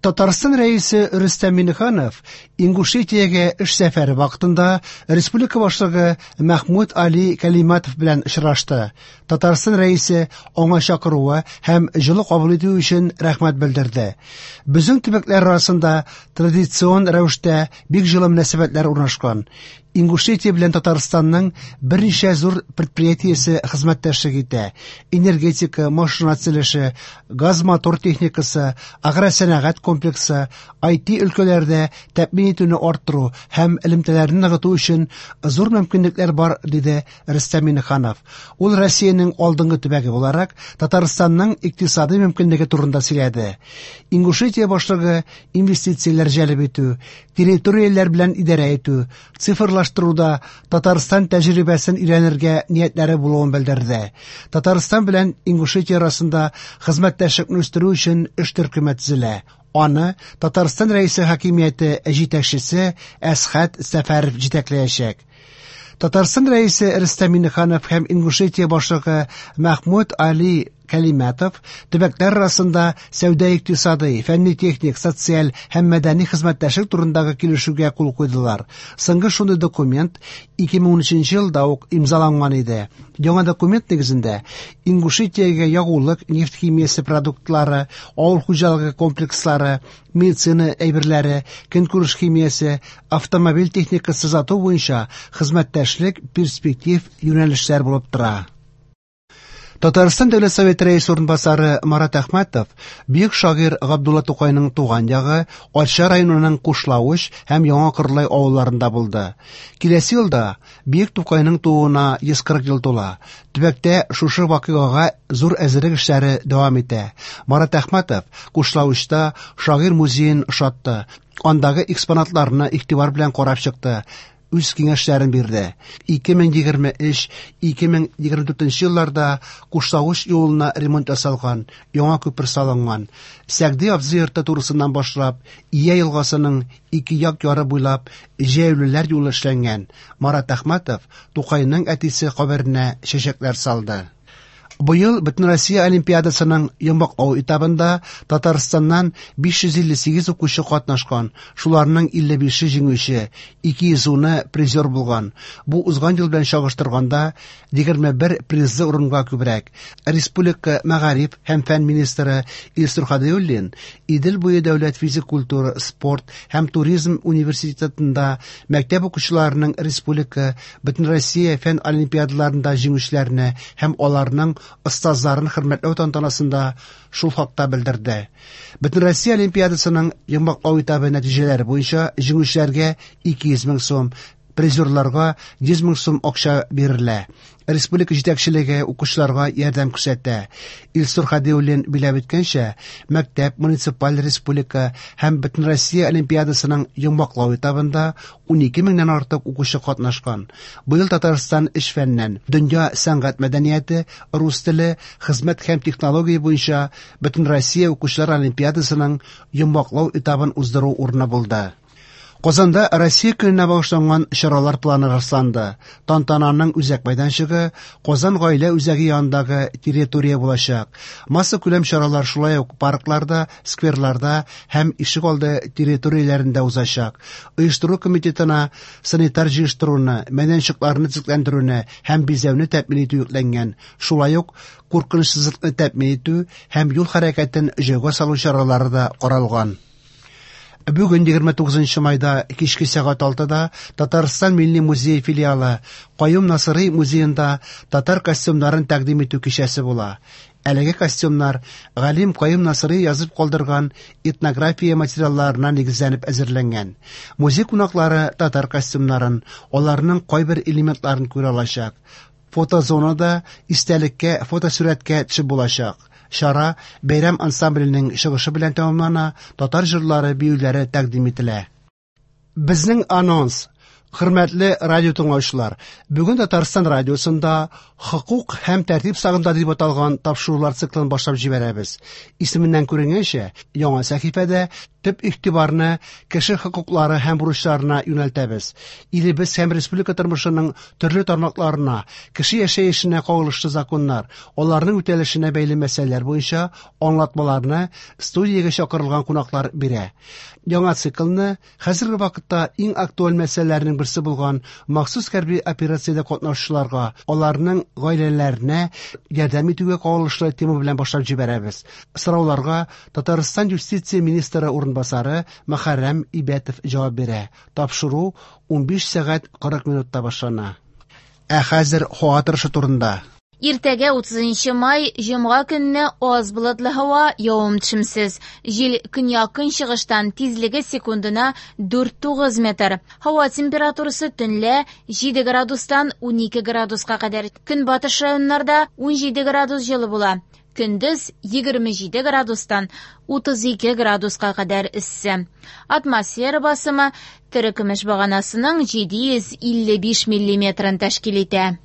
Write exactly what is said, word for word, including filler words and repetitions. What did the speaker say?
Татарстан Рәисе Рөстәм Миңнеханов Ингушетиягә эш сәфәре вакытында республика башлыгы Мәхмүд Али Кәлиматов белән очрашты. Татарстан Рәисе аңа чакыруы һәм җылы кабул итү өчен рәхмәт белдерде. Безнең төбәкләр арасында традицион рәвештә бик җылы мөнәсәбәтләр урнашкан. Ингушетия белән Татарстанның берничә зур предприятиесе хезмәттәшлек итә. Энергетика, машина төзелеше, газ-мотор техникасы, агросәнәгать комплексы, I T өлкәләрдә тәэмин итүне арттыру һәм элемтәләрне ныгыту өчен зур мөмкинлекләр бар, диде Рөстәм Миңнеханов. Ул Россиянең алдынгы төбәге буларак Татарстанның икътисади мөмкинлеге турында сөйләде. Ингушетия башлыгы инвестицияләр җәлеп итү, территорияләр белән идарә итү, цифрлаштыруда Татарстан тәҗрибәсен өйрәнергә ниятләре булуын белдерде. Татарстан белән Ингушетия арасында хезмәттәшлекне үстерү өчен эш төркеме төзелә. Аны Татарстан Рәисе хакимияте җитәкчесе Әсхәт Сәфәров җитәкләячәк. Татарстан Рәисе Рөстәм Миңнеханов һәм Ингушетия башлыгы Мәхмүд Али Кәлиматов төбәкләр арасында сәүдә-икътисади, фәнни-техник, социаль һәм мәдәни хезмәттәшлек турындагы килешүгә кул куйдылар. Соңгы шундый документ ике мең унөченче елда ук имзаланган иде. Яңа документ нигезендә Ингушетиягә ягулык, нефть химиясе продуктлары, авыл хуҗалыгы комплекслары, медицина әйберләре, көнкүреш химиясе, автомобиль техникасы сату буенча хезмәттәшлек перспектив юнәлешләр булып тора. Татарстан Дәүләт Советы Рәисе урынбасары Марат Әхмәтов бөек шагыйрь Габдулла Тукайның туган ягы Арча районының Кушлавыч һәм Яңа Кырлай авылларында булды. Киләсе елда бөек Тукайның тууына йөз кырык ел тула. Төбәктә шушы вакыйгага зур әзерлек эшләре дәвам итә. Марат Әхмәтов Кушлавычта шагыйрь музеен ошатты. Андагы экспонатларны игътибар белән карап чыкты. Үз киңәшләрен бирде. Ике мең егерме өч, ике мең егерме дүртенче елларда Кушлавыч юлына ремонт ясалган, яңа күпер салынган. Сәгъди абзый йорты турысыннан башлап, Ия елгасының ике як яры буйлап җәяүлеләр юлы эшләнгән. Марат Әхмәтов Тукайның әтисе каберенә чәчәкләр салды. Быел Бөтенроссия Олимпиадасының йомгаклау этабында Татарстаннан биш йөз илле сигез укучы катнашкан, шуларның илле бише җиңүче, ике йөз уны призер булган. Бу узган ел белән чагыштырганда егерме бер призлы урынга күбрәк. Республика мәгариф һәм фән министры Илсур Һадиуллин Идел буе дәүләт физик культура, спорт һәм туризм университетында мәктәп укучыларының республика Бөтенроссия фән олимпиадаларында җиңүчеләрне һәм аларның остазларын хөрмәтләү тантанасында шул хакта белдерде. Бөтенроссия Олимпиадасының йомгаклау этабы нәтиҗәләре буенча җиңүчеләргә ике йөз мең сум, призерларга йөз мең сум акча бирелә. Республика җитәкчелеге укучыларга ярдәм күрсәтә. Илсур Һадиуллин биләп үткәнчә, мәктәп, муниципаль республика һәм Бөтенроссия Олимпиадасының йомгаклау этабында унике меңнән артык укучы катнашкан. Быел Татарстан өч фәннән дөнья сәнгать мәдәнияте, рус теле, хезмәт һәм технология буенча Бөтенроссия укучылар Олимпиадасының йомгаклау этабын уздыру урыны булды. Казанда Россия көненә багышланган чаралар планы расланды. Тантананың үзәк мәйданчыгы Казан гаилә үзәге янындагы территория булачак. Массакүләм чаралар шулай ук паркларда, скверларда һәм ишегалды территорияләрендә узачак. Оештыру комитетына санитар җыештыруны, мәйданчыкларны төзекләндерүне һәм бизәүне тәэмин итү йөкләнгән. Шулай ук куркынычсызлыкны тәэмин итү һәм юл хәрәкәтен җайга салу чаралары да каралган. Бүген егерме тугызынчы майда кичке сәгать алтыда Татарстан Милли музее филиалы Каюм Насыйри музеенда татар костюмнарын тәкъдим итү кичәсе була. Әлеге костюмнар галим Каюм Насыйри язып калдырган этнография материалларына нигезләнеп әзерләнгән. Музей кунаклары татар костюмнарын, аларның кайбер элементларын күрә алачак. Фотозонада истәлеккә фотосурәткә төшеп булачак. Чара бәйрәм ансамбленең чыгышы белән тәмамлана, татар җырлары, биюләре тәкъдим ителә. Безнең анонс. Хөрмәтле радио тыңлаучылар, бүген Татарстан радиосында «Хокук һәм тәртип сагында» дип аталган тапшырулар циклын башлап җибәрәбез. Исеменнән күренгәнчә, яңа сәхифәдә төп игътибарны кеше хокуклары һәм бурычларына юнәлтәбез. Илебез һәм республика тормышының төрле тармакларына, кеше яшәешенә кагылышлы законнар, аларның үтәлешенә бәйле мәсьәләләр буенча аңлатмаларны студиягә чакырылган кунаклар бирә. Яңа циклны хәзерге вакытта иң актуаль мәсьәләләрнең берсе булган махсус хәрби операциядә катнашучыларга, аларның гаиләләренә ярдәм итүгә кагылышлы тема белән башлап җибәрәбез. Сорауларга Татарстан юстиция министры урынбасары Мөхәррәм Ибәтов җавап бирә. Тапшыру унбиш сәгать кырык минутта башлана. Ә хәзер һава торышы турында. Иртәгә утызынчы май, җомга көнне аз болытлы һава, явым-төшемсез. Җил көньяк-көнчыгыштан, тизлеге секундына дүрт тугыз метр. Һава температурасы төнлә җиде градустан унике градуска кадәр. Көнбатыш районнарда унҗиде градус җылы була. Көндез егерме җиде градустан утыз ике градуска кадәр эссе. Атмосфера басымы терекөмеш баганасының җиде йөз илле биш миллиметрын тәшкил итә.